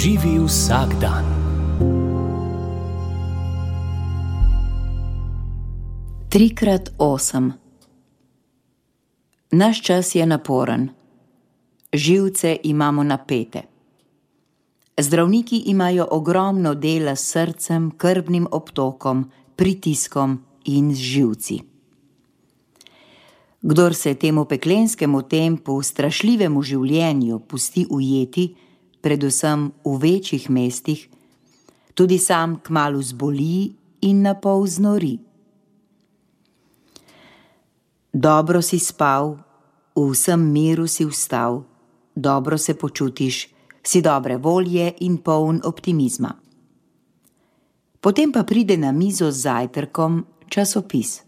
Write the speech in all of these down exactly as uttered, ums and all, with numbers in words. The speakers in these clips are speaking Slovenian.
Živi vsak dan. Trikrat osem. Naš čas je naporen. Živce imamo napete. Zdravniki imajo ogromno dela s srcem, krvnim obtokom, pritiskom in z živci. Kdor se temu peklenskemu tempu, strašljivemu življenju pusti ujeti, predvsem v večjih mestih, tudi sam kmalu zboli in napol znori. Dobro si spal, v vsem miru si vstal, dobro se počutiš, si dobre volje in poln optimizma. Potem pa pride na mizo z zajtrkom časopis.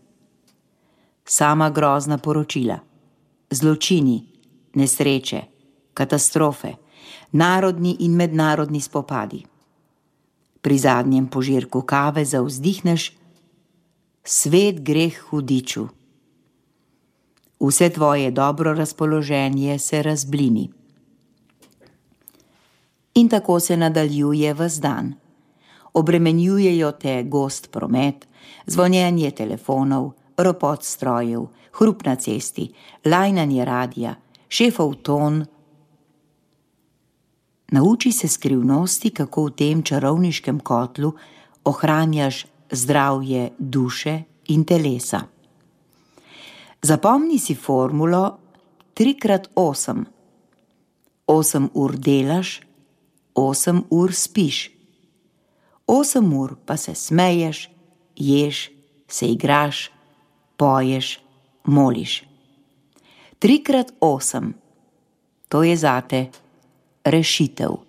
Sama grozna poročila, zločini, nesreče, katastrofe, narodni in mednarodni spopadi. Pri zadnjem požirku kave zavzdihneš: svet gre k hudiču. Vse tvoje dobro razpoloženje se razblini. In tako se nadaljuje ves dan. Obremenjujejo te gost promet, zvonjenje telefonov, ropot strojev, hrup na cesti, lajnanje radija, šefov ton. Nauči se skrivnosti, kako v tem čarovniškem kotlu ohranjaš zdravje duše in telesa. Zapomni si formulo tri krat osem. Osem ur delaš, osem ur spiš. Osem ur pa se smeješ, ješ, se igraš, poješ, moliš. Tri krat osem. To je zate rešitev.